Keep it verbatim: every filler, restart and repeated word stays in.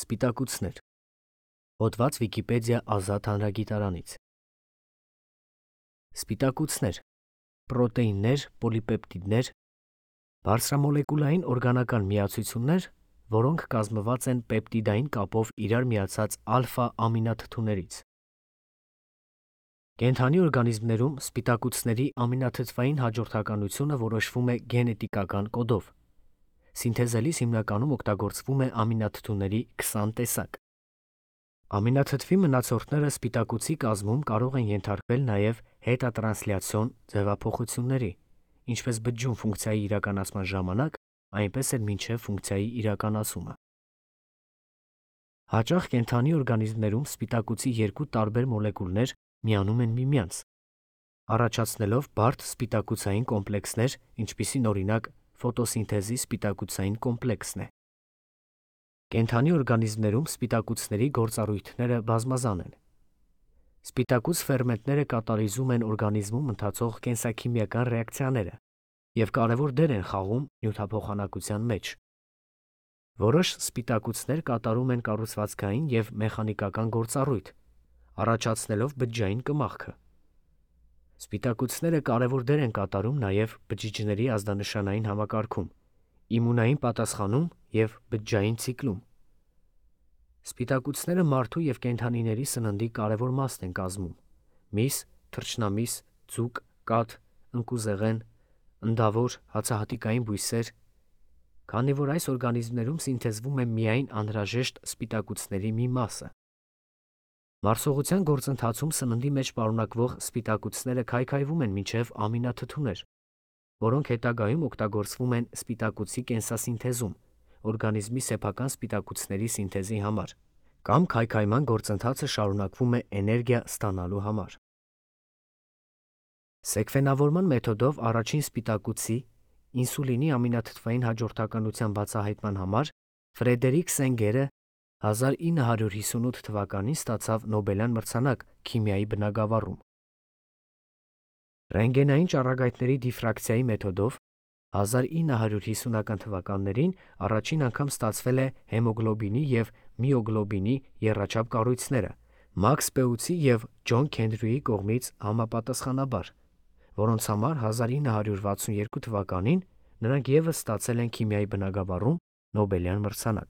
Սպիտակուցներ։ Հոդված Վիկիպեդիա ազատ հանրագիտարանից։ Սպիտակուցներ, պրոտեիններ, պոլիպեպտիդներ, բարձրամոլեկուլային օրգանական միացություններ, որոնք կազմված են պեպտիդային կապով իրար միացած ալֆա ամինաթթուներից։ Կենդանի օրգանիզմներում սպիտակուցների ամինաթթվային հաջորդականությունը որոշվում է գենետիկական կոդով։ Սինթեզելիս հիմնականում օգտագործվում է ամինաթթուների քսան տեսակ։ Ամինաթթվի մնացորդները սպիտակուցի կազմում կարող են ենթարկվել նաև հետատրանսլյացիոն ձևափոխությունների, ինչպես բջջում ֆունկցիայի իրականացման ժամանակ, այնպես էլ մինչև ֆունկցիայի իրականացումը։ Հաճախ կենդանի օրգանիզմներում սպիտակուցի երկու տարբեր մոլեկուլներ միանում են միմյանց, առաջացնելով բարդ սպիտակուցային կոմպլեքսներ, ինչպիսին օրինակ ֆոտոսինթեզի սպիտակուցային կոմպլեքսն է։ Կենդանի օրգանիզմներում սպիտակուցների գործառույթները բազմազան են։ Սպիտակուց ֆերմենտները կատալիզում են օրգանիզմում ընթացող կենսաքիմիական ռեակցիաները և կարևոր դեր են խաղում նյութափոխանակության մեջ։ Որոշ սպիտակուցներ կատարում են կառուցվածքային և մեխանիկական գործառույթ, առաջացնելով բջջային կմախքը։ Սպիտակուցները կարևոր դեր են կատարում նաև բջիջների ազդանշանային համակարգում, իմունային պատասխանում և բջջային ցիկլում։ Սպիտակուցները մարդու և կենդանիների սննդի կարևոր մասն են կազմում՝ միս, թռչնամիս, ձուկ, կաթ, ընկուզեղեն, ընդավոր, հացահատիկային բույսեր, քանի որ այս օրգանիզմներում սինթեզվում է միայն անհրաժեշտ սպիտակուցների մի մասը։ Մարսողության գործընթացում սննդի մեջ պարունակվող սպիտակուցները քայքայվում են մինչև ամինաթթուներ, որոնք հետագայում օգտագործվում են սպիտակուցի կենսասինթեզում, օրգանիզմի սեփական սպիտակուցների սինթեզի համար, կամ քայքայման գործընթացը շարունակվում է էներգիա ստանալու համար։ Սեկվենավորման մեթոդով առաջին սպիտակուցի՝ ինսուլինի ամինաթթվային հաջորդականության բացահայտման համար Ֆրեդերիկ Սենգերը հազար ինը հարյուր հիսունութ թվականին ստացավ Նոբելյան մրցանակ քիմիայի բնագավառում։ Ռենտգենային ճառագայթների դիֆրակցիայի մեթոդով հազար ինը հարյուր հիսունական թվականներին առաջին անգամ ստացվել է հեմոգլոբինի և միոգլոբինի եռաչափ կառույցները Մաքս Պեուտի և Ջոն Քենդրյուի կողմից համապատասխանաբար, որոնց համար հազար ինը հարյուր վաթսուն երկու թվականին նրանք ևս ստացել են քիմիայի բնագավառում Նոբելյան մրցանակ։